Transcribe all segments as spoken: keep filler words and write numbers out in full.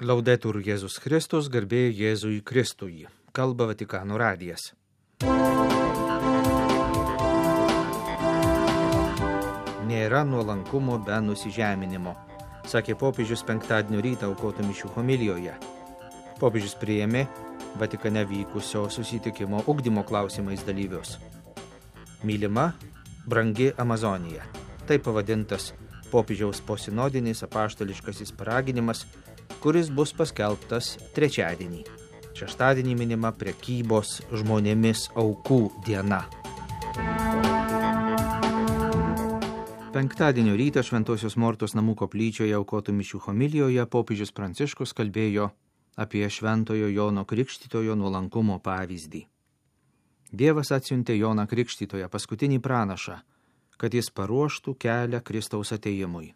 Laudetur Jėzus Kristus, garbė Jėzui Kristui. Kalba Vatikano radijas. Nėra nuolankumo be nusižeminimo, sakė popiežius penktadienio rytą aukotų mišių homilijoje. Popiežius priėmė Vatikane vykusio susitikimo ugdymo klausimais dalyvius. Mylima, brangi Amazonija. Tai pavadintas popiežiaus posinodinis apaštališkasis paraginimas, kuris bus paskelbtas trečiadienį. Šeštadienį minima prekybos žmonėmis aukų diena. Penktadienio rytą Šventosios Mortos namų koplyčioje aukotų mišių homilijoje popiežius Pranciškus kalbėjo apie Šventojo Jono Krikštytojo nuolankumo pavyzdį. Dievas atsiuntė Joną Krikštytoją, paskutinį pranašą, kad jis paruoštų kelią Kristaus atėjimui.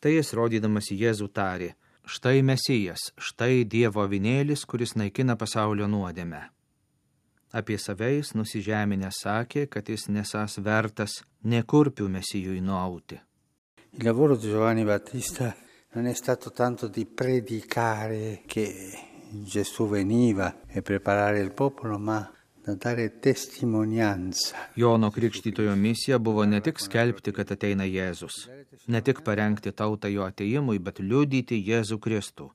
Tai jis rodydamas į Jėzų tarė: štai Mesijas, štai Dievo avinėlis, kuris naikina pasaulio nuodėmę. Apie save jis nusižeminęs sakė, kad jis nesąs vertas nė kurpių Mesijui nuauti. Il lavoro di Giovanni Battista non è stato tanto di predicare che Gesù veniva e preparare il popolo, ma da dare testimonianza. Jono Krikštytojo misija buvo ne tik skelbti, kad ateina Jėzus, ne tik parengti tautą jo atėjimui, bet liudyti Jėzų Kristų,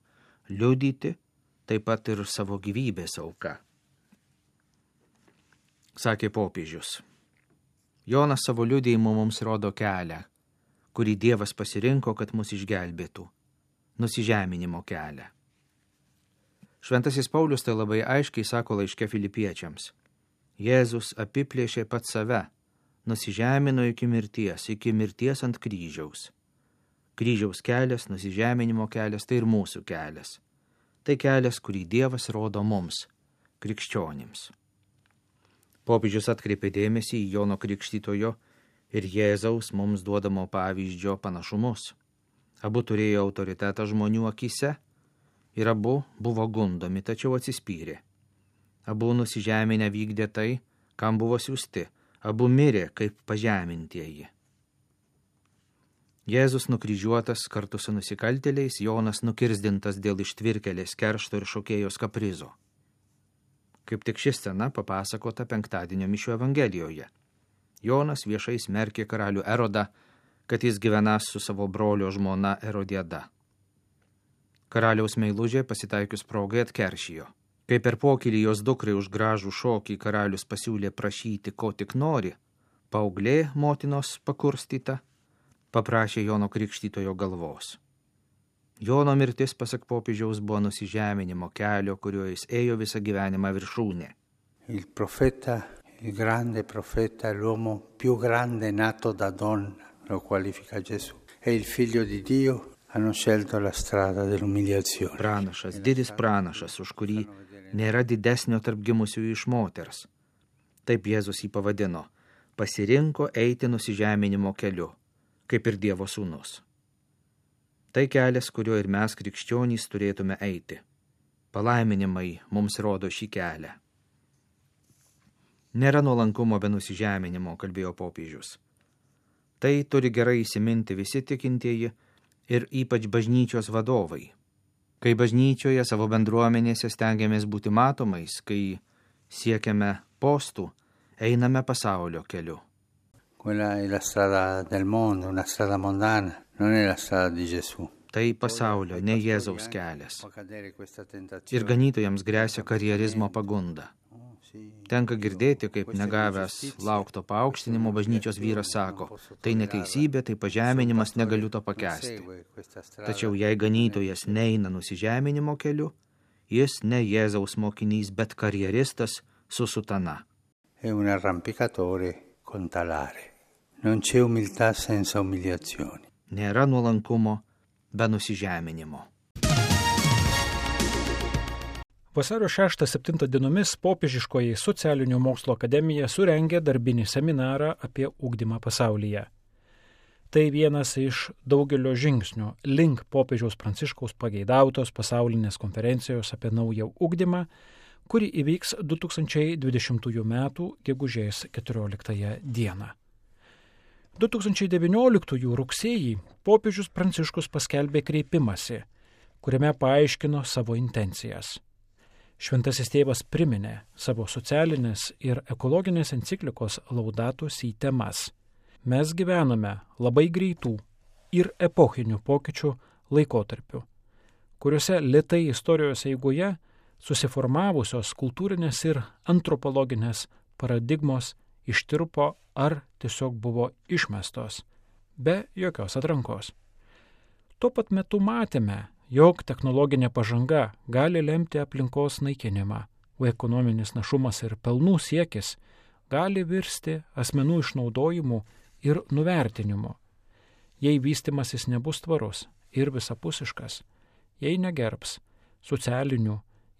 liudyti taip pat ir savo gyvybės auką. Sakė popiežius. Jonas savo liudijimu mums rodo kelią, kurį Dievas pasirinko, kad mus išgelbėtų, nusižeminimo kelią. Šventasis Paulius tai labai aiškiai sako laiške Filipiečiams. Jėzus apiplėšė pats save, nusižemino iki mirties, iki mirties ant kryžiaus. Kryžiaus kelias, nusižeminimo kelias, tai ir mūsų kelias. Tai kelias, kurį Dievas rodo mums, krikščionims. Popiežius atkreipė dėmesį į Jono Krikštytojo ir Jėzaus mums duodamo pavyzdžio panašumus. Abu turėjo autoritetą žmonių akyse ir abu buvo gundomi, tačiau atsispyrė. Abu nusižeminę vykdė tai, kam buvo siųsti, abu mirė kaip pažemintieji. Jėzus nukryžiuotas kartu su nusikaltėliais, Jonas nukirzdintas dėl ištvirkelės keršto ir šokėjos kaprizo. Kaip tik ši scena papasakota penktadienio mišių evangelijoje. Jonas viešai smerkė karalių Erodą, kad jis gyvenas su savo brolio žmona Erodiada. Karaliaus meilužė pasitaikius progai atkeršijo. Kai per pokylį jos dukrai už gražų šokį karalius pasiūlė prašyti, ko tik nori, paauglė motinos pakurstyta paprašė Jono Krikštytojo galvos. Jono mirtis, pasak popiežiaus, buvo nusižeminimo kelio, kuriuo jis ėjo visą gyvenimą viršūnė. Il profeta, il grande profeta, l'uomo più grande nato da donna, lo qualifica Gesù, e il figlio di Dio hanno scelto la strada dell'umiliazione. Pranašas, didis pranašas, už kurį nėra didesnio tarp gimusiųjų iš moters. Taip Jėzus jį pavadino, pasirinko eiti nusižeminimo keliu, kaip ir Dievo sūnus. Tai kelias, kuriuo ir mes krikščionys turėtume eiti. Palaiminimai mums rodo šį kelią. Nėra nuolankumo be nusižeminimo, kalbėjo popiežius. Tai turi gerai įsiminti visi tikintieji ir ypač bažnyčios vadovai. Kai bažnyčioje savo bendruomenėse stengiamės būti matomais, kai siekiame postų, einame pasaulio keliu. Quella è la strada del mondo, una strada mondana, non è la strada di Gesù. Tai pasaulio, ne Jėzaus kelias. Ir ganytojams gresia karjerizmo pagunda. Tenka girdėti, kaip negavęs laukto paaukštinimo bažnyčios vyras sako, tai neteisybė, tai pažeminimas, negaliu to pakęsti. Tačiau jei ganytojas neina nusižeminimo keliu, jis ne Jėzaus mokinys, bet karjeristas su sutana. È un arrampicatore con talare. Non c'è umiltà senza umiliazioni. Nėra nuolankumo be nusižeminimo. Vasario šeštą septintą dienomis Popiežiškoji socialinių mokslo akademija surengė darbinį seminarą apie ugdymą pasaulyje. Tai vienas iš daugelio žingsnių link popiežiaus Pranciškaus pageidautos pasaulinės konferencijos apie naują ugdymą, kuri įvyks du tūkstančiai dvidešimtųjų metų gegužės keturioliktąją dieną. du tūkstančiai devynioliktųjų rugsėjį popiežius Pranciškus paskelbė kreipimąsi, kuriame paaiškino savo intencijas. Šventasis tėvas priminė savo socialinės ir ekologinės enciklikos Laudato Si temas. Mes gyvename labai greitų ir epochinių pokyčių laikotarpiu, kuriuose lėtai istorijos eigoje susiformavusios kultūrinės ir antropologinės paradigmos ištirpo ar tiesiog buvo išmestos, be jokios atrankos. Tuo pat metu matėme, jog technologinė pažanga gali lemti aplinkos naikinimą, o ekonominis našumas ir pelnų siekis gali virsti asmenų išnaudojimu ir nuvertinimu. Jei vystimasis nebus tvarus ir visapusiškas, jei negerbs socialinių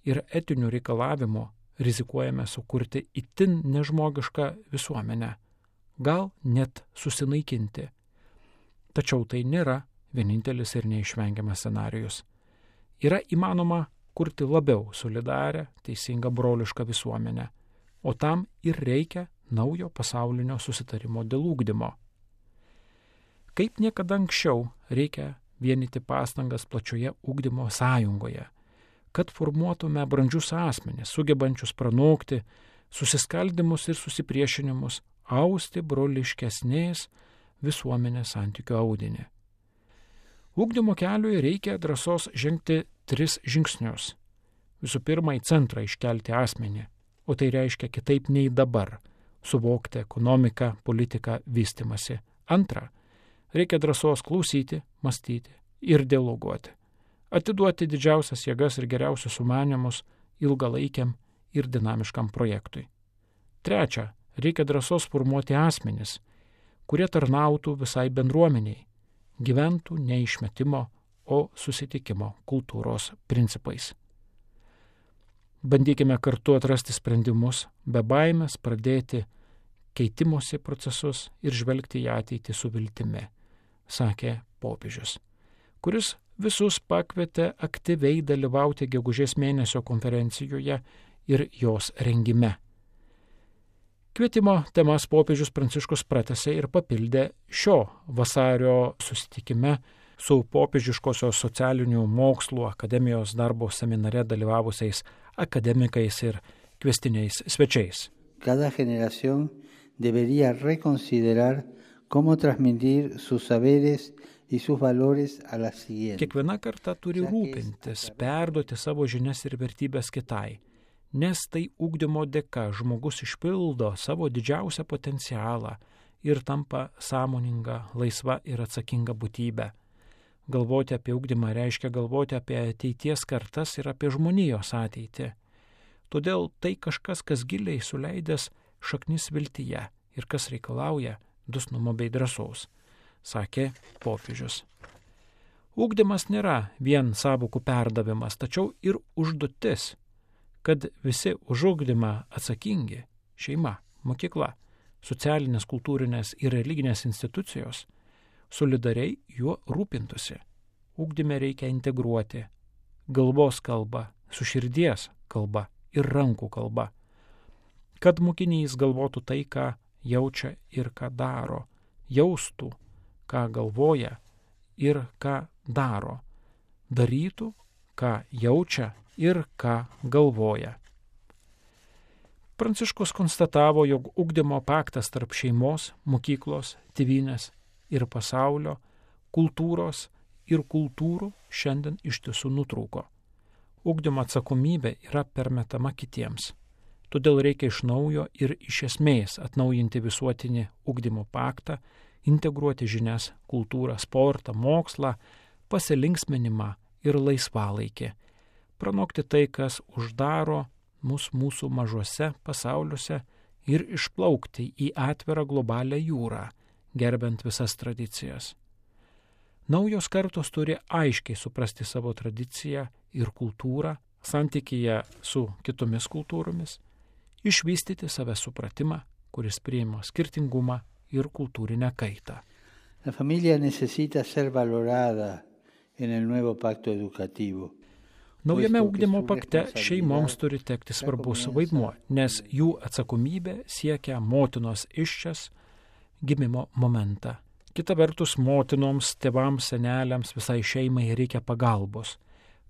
ir etinių reikalavimų, rizikuojame sukurti itin nežmogišką visuomenę, gal net susinaikinti. Tačiau tai nėra vienintelis ir neišvengiamas scenarijus. Yra įmanoma kurti labiau solidarę, teisingą brolišką visuomenę, o tam ir reikia naujo pasaulinio susitarimo dėl ugdymo. Kaip niekada anksčiau reikia vienyti pastangas plačioje ugdymo sąjungoje, kad formuotume brandžius asmenis, sugebančius pranokti susiskaldimus ir susipriešinimus, austi broliškesnės visuomenės santykių audinį. Ugdymo keliui reikia drąsos žengti tris žingsnius. Visų pirma, į centrą iškelti asmenį, o tai reiškia kitaip nei dabar – suvokti ekonomiką, politiką, vystimasi. Antra, reikia drąsos klausyti, mąstyti ir dialoguoti. Atiduoti didžiausias jėgas ir geriausius sumanymus ilgalaikiam ir dinamiškam projektui. Trečia, reikia drąsos formuoti asmenis, kurie tarnautų visai bendruomeniai, gyventų ne išmetimo, o susitikimo kultūros principais. Bandykime kartu atrasti sprendimus, be baimės pradėti keitimosi procesus ir žvelgti į ateitį su viltimi, sakė popiežius, kuris visus pakvietė aktyviai dalyvauti gegužės mėnesio konferencijoje ir jos rengime. Kvietimo temas popiežius Pranciškus pratęsė ir papildė šio vasario susitikime su popiežiškosios socialinių mokslų akademijos darbo seminare dalyvavusiais akademikais ir kvestiniais svečiais. Cada generación debería reconsiderar cómo transmitir sus saberes y sus valores a la siguiente. Kiekviena karta turi rūpintis, perduoti savo žinias ir vertybės kitai, nes tai ugdymo dėka žmogus išpildo savo didžiausią potencialą ir tampa sąmoninga, laisva ir atsakinga būtybė. Galvoti apie ugdymą reiškia galvoti apie ateities kartas ir apie žmonijos ateitį. Todėl tai kažkas, kas giliai suleidęs šaknis viltyje ir kas reikalauja dosnumo bei drąsos, sakė popiežius. Ugdymas nėra vien sąvokų perdavimas, tačiau ir užduotis, kad visi už ugdymą atsakingi – šeima, mokykla, socialinės, kultūrinės ir religinės institucijos – solidariai juo rūpintųsi. Ugdyme reikia integruoti galvos kalbą su širdies kalba ir rankų kalba, kad mokinys galvotų tai, ką jaučia ir ką daro, jaustų, ką galvoja ir ką daro, darytų, ką jaučia ir ką galvoja. Pranciškus konstatavo, jog ugdymo paktas tarp šeimos, mokyklos, tėvynės ir pasaulio, kultūros ir kultūrų šiandien iš tiesų nutrūko. Ugdymo atsakomybė yra permetama kitiems. Todėl reikia iš naujo ir iš esmės atnaujinti visuotinį ugdymo paktą, integruoti žinias, kultūrą, sportą, mokslą, pasilinksminimą ir laisvalaikį, pranokti tai, kas uždaro mus mūsų mažuose pasauliuose ir išplaukti į atvirą globalią jūrą, gerbent visas tradicijas. Naujos kartos turi aiškiai suprasti savo tradiciją ir kultūrą, santykyje su kitomis kultūromis, išvystyti savęs supratimą, kuris priima skirtingumą ir kultūrinę kaitą. La familia necesita ser valorada en el nuevo pacto educativo. Naujame ugdymo pakte šeimoms turi tekti svarbus vaidmuo, nes jų atsakomybė siekia motinos iščias gimimo momentą. Kita vertus, motinoms, tėvams, seneliams, visai šeimai reikia pagalbos,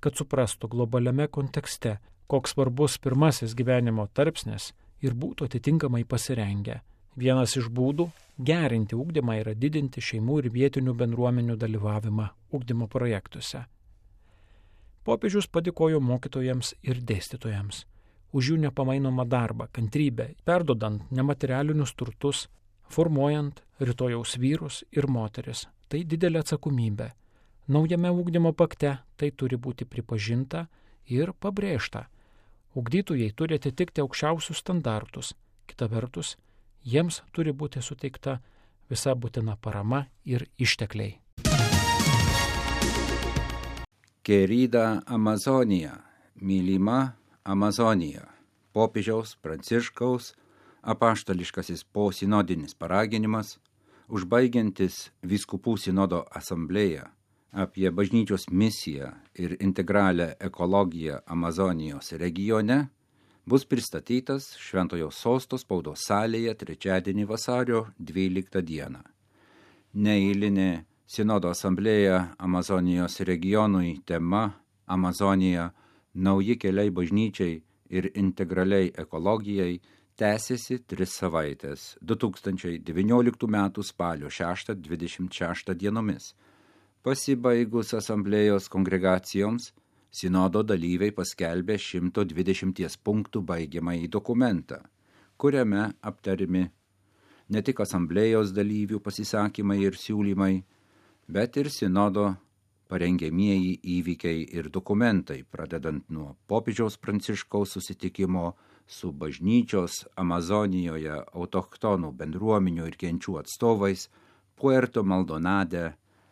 kad suprastų globaliame kontekste, koks svarbus pirmasis gyvenimo tarpsnis ir būtų atitinkamai pasirengę. Vienas iš būdų gerinti ugdymą yra didinti šeimų ir vietinių bendruomenių dalyvavimą ugdymo projektuose. Popiežius padėkojo mokytojams ir dėstytojams už jų nepamainomą darbą, kantrybę, perdodant nematerialinius turtus, formuojant rytojaus vyrus ir moteris. Tai didelė atsakomybė. Naujame ugdymo pakte tai turi būti pripažinta ir pabrėžta. Ugdytojai turi atitikti aukščiausius standartus. Kita vertus, jiems turi būti suteikta visa būtina parama ir ištekliai. Querida Amazonija, mylima Amazonija, popiežiaus Pranciškaus apaštališkasis posinodinis paraginimas, užbaigiantis vyskupų sinodo asamblėją apie bažnyčios misiją ir integralią ekologiją Amazonijos regione, bus pristatytas Šventojo Sosto spaudos salėje trečiadienį vasario dvyliktą dieną. Neeilinė sinodo asamblėja Amazonijos regionui tema Amazonija – nauji keliai bažnyčiai ir integraliai ekologijai tęsiasi tris savaitės du tūkstančiai devynioliktų metų spalio šeštą dvidešimt šeštą dienomis. Pasibaigus asamblėjos kongregacijoms, sinodo dalyviai paskelbė šimto dvidešimties punktų baigiamąjį dokumentą, kuriame aptarimi ne tik asamblėjos dalyvių pasisakymai ir siūlymai, bet ir sinodo parengiamieji įvykiai ir dokumentai, pradedant nuo popiežiaus Pranciškaus susitikimo su bažnyčios Amazonijoje autochtonų bendruomenių ir genčių atstovais Puerto Maldonade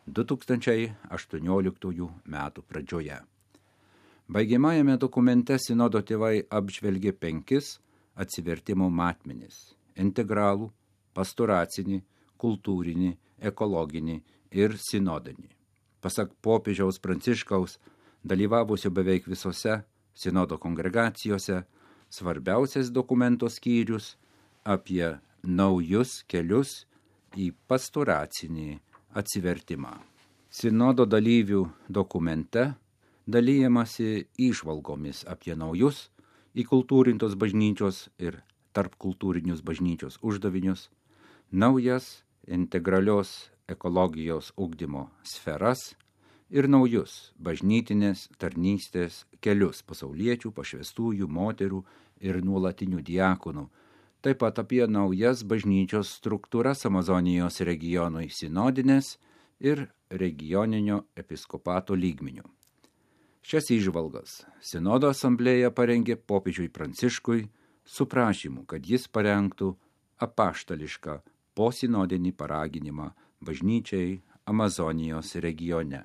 du tūkstančiai aštuonioliktųjų metų pradžioje. Baigiamajame dokumente sinodo tėvai apžvelgė penkis atsivertimo matmenis – integralų, pastoracinį, kultūrinį, ekologinį ir sinodinį. Pasak popiežiaus Pranciškaus, dalyvavusio beveik visose sinodo kongregacijose, svarbiausias dokumento skyrius apie naujus kelius į pastoracinį atsivertimą. Sinodo dalyvių dokumente dalyjamasi įžvalgomis apie naujus įkultūrintos bažnyčios ir tarpkultūrinius bažnyčios uždavinius, naujas integralios ekologijos ugdymo sferas ir naujus bažnytinės tarnystės kelius pasauliečių, pašvestųjų, moterų ir nuolatinių diakonų, taip pat apie naujas bažnyčios struktūras Amazonijos regionui sinodinės ir regioninio episkopato lygmenių. Šias įžvalgas sinodo asamblėja parengė popiežiui Pranciškui su prašymu, kad jis parengtų apaštališką posinodinį paraginimą bažnyčiai Amazonijos regione.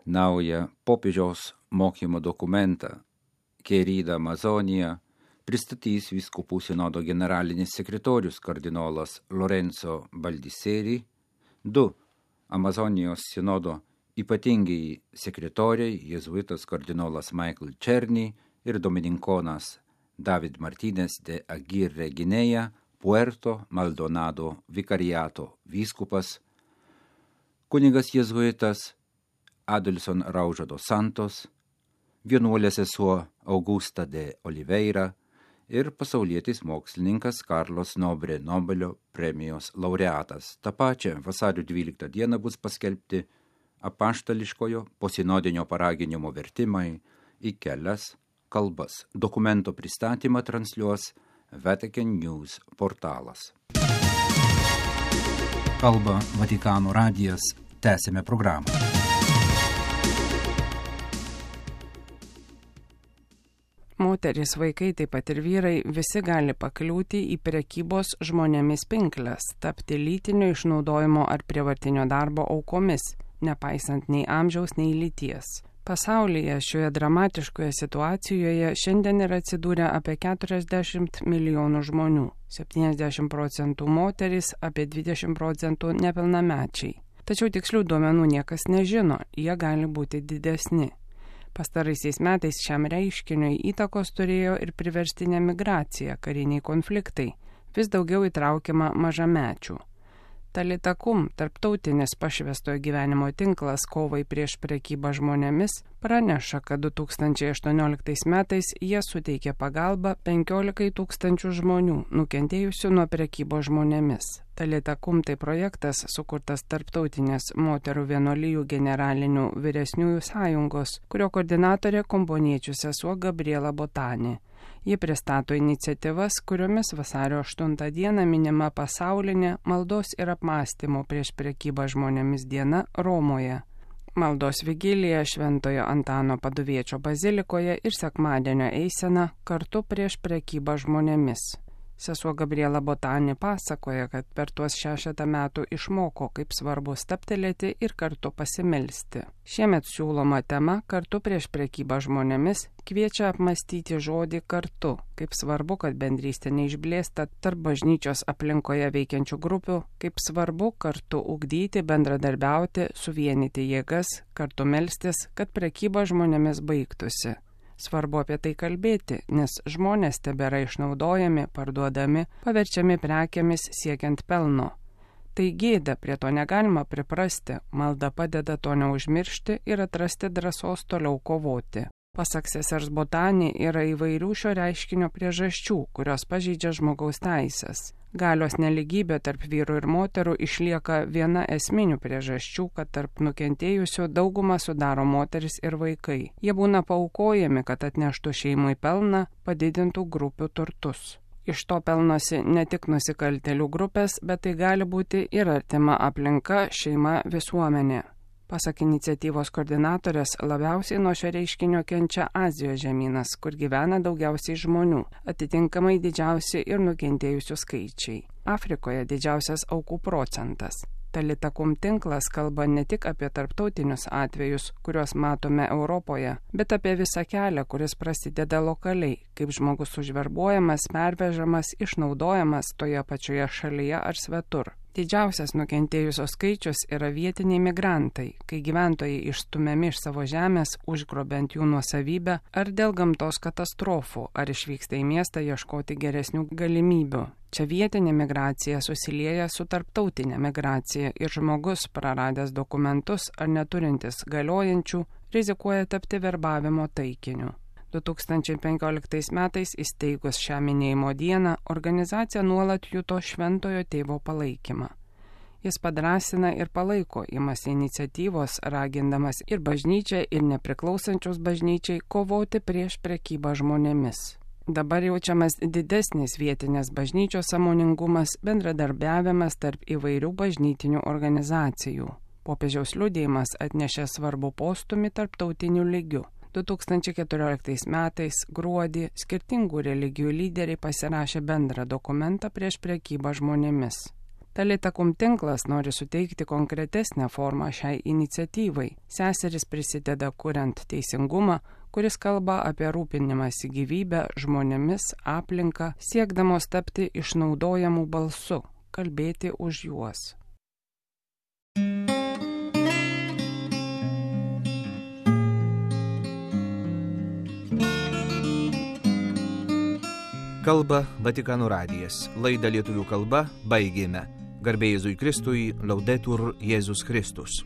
Naują popiežiaus mokymo dokumentą Querida Amazonija pristatys vyskupų sinodo generalinis sekretorius kardinolas Lorenzo Baldisseri, du Amazonijos sinodo ypatingiai sekretoriai, jėzuitas kardinolas Michael Černy ir dominikonas David Martínez de Aguirre Guinea, Puerto Maldonado vikariato vyskupas, kunigas jėzuitas Adilson Raujo dos Santos, vienuolė sesuo Augusta de Oliveira ir pasaulietis mokslininkas Carlos Nobre Nobelio premijos laureatas. Ta pačia vasario dvyliktą dieną bus paskelbti apaštališkojo posinodinio paraginimo vertimai į kelias kalbas. Dokumento pristatymą transliuos Vatican News portalas. Kalba Vatikano radijas. Tęsime programą. Moteris, vaikai, taip pat ir vyrai visi gali pakliūti į prekybos žmonėmis pinkles, tapti lytinio išnaudojimo ar prievartinio darbo aukomis, nepaisant nei amžiaus, nei lyties. Pasaulyje šioje dramatiškoje situacijoje šiandien yra atsidūrę apie keturiasdešimt milijonų žmonių, septyniasdešimt procentų moterys, apie dvidešimt procentų nepilnamečiai. Tačiau tikslių duomenų niekas nežino, jie gali būti didesni. Pastaraisiais metais šiam reiškiniui įtakos turėjo ir priverstinė migracija, kariniai konfliktai, vis daugiau įtraukiama mažamečių. Talita Kum, tarptautinis pašvęstojo gyvenimo tinklas kovai prieš prekybą žmonėmis, praneša, kad du tūkstančiai aštuonioliktais metais jie suteikė pagalbą penkiolikai tūkstančių žmonių nukentėjusių nuo prekybos žmonėmis. Talita Kum tai projektas sukurtas tarptautinės moterų vienuolijų generalinių vyresniųjų sąjungos, kurio koordinatorė komboniečių sesuo Gabriela Botani. Ji pristato iniciatyvas, kuriomis vasario aštuntą dieną minima pasaulinė maldos ir apmąstymo prieš prekybą žmonėmis diena Romoje. Maldos vigilija Šventojo Antano Paduviečio bazilikoje ir sekmadienio eisena kartu prieš prekybą žmonėmis. Sesuo Gabriela Botani pasakoja, kad per tuos šešetą metų išmoko, kaip svarbu stabtelėti ir kartu pasimelsti. Šiemet siūloma tema kartu prieš prekybą žmonėmis kviečia apmastyti žodį kartu, kaip svarbu, kad bendrystė neišblėsta tarp bažnyčios aplinkoje veikiančių grupių, kaip svarbu kartu ugdyti, bendradarbiauti, suvienyti jėgas, kartu melstis, kad prekyba žmonėmis baigtųsi. Svarbu apie tai kalbėti, nes žmonės tebėra išnaudojami, parduodami, paverčiami prekiamis siekiant pelno. Tai gėda, prie to negalima priprasti, malda padeda to neužmiršti ir atrasti drąsos toliau kovoti. Pasak sesers Botani, yra įvairių šio reiškinio priežasčių, kurios pažeidžia žmogaus teisės. Galios neligybė tarp vyrų ir moterų išlieka viena esminių priežasčių, kad tarp nukentėjusių daugumą sudaro moteris ir vaikai. Jie būna paaukojami, kad atneštų šeimai pelną, padidintų grupių turtus. Iš to pelnosi ne tik nusikaltėlių grupės, bet tai gali būti ir artima aplinka, šeima, visuomenė. Pasak iniciatyvos koordinatorės, labiausiai nuo šio reiškinio kenčia Azijos žemynas, kur gyvena daugiausiai žmonių, atitinkamai didžiausi ir nukentėjusių skaičiai. Afrikoje didžiausias aukų procentas. Talita Kum tinklas kalba ne tik apie tarptautinius atvejus, kuriuos matome Europoje, bet apie visą kelią, kuris prasideda lokaliai, kaip žmogus užverbuojamas, pervežamas, išnaudojamas toje pačioje šalyje ar svetur. Didžiausias nukentėjusios skaičius yra vietiniai migrantai, kai gyventojai išstumiami iš savo žemės, užgrobiant jų nuosavybę, ar dėl gamtos katastrofų, ar išvyksta į miestą ieškoti geresnių galimybių. Čia vietinė migracija susilieja su tarptautinė migracija ir žmogus, praradęs dokumentus ar neturintis galiojančių, rizikuoja tapti verbavimo taikiniu. du tūkstančiai penkioliktais metais įsteigus šią minėjimo dieną, organizacija nuolat juto šventojo tėvo palaikymą. Jis padrasina ir palaiko, imasi iniciatyvos, ragindamas ir bažnyčią, ir nepriklausančius bažnyčiai kovoti prieš prekybą žmonėmis. Dabar jaučiamas didesnis vietinės bažnyčios sąmoningumas, bendradarbiavimas tarp įvairių bažnytinių organizacijų. Popiežiaus liudijimas atnešė svarbų postūmį tarptautiniu lygiu. du tūkstančiai keturioliktais metais gruodį skirtingų religijų lyderiai pasirašė bendrą dokumentą prieš prekybą žmonėmis. Talita Kum tinklas nori suteikti konkretesnę formą šiai iniciatyvai. Seseris prisideda kuriant teisingumą, kuris kalba apie rūpinimąsi gyvybę, žmonėmis, aplinką, siekdamos tapti išnaudojamų balsu, kalbėti už juos. Kalba Vatikano radijas. Laidą lietuvių kalba baigėme. Garbė Jėzui Kristui, Laudetur Jėzus Kristus.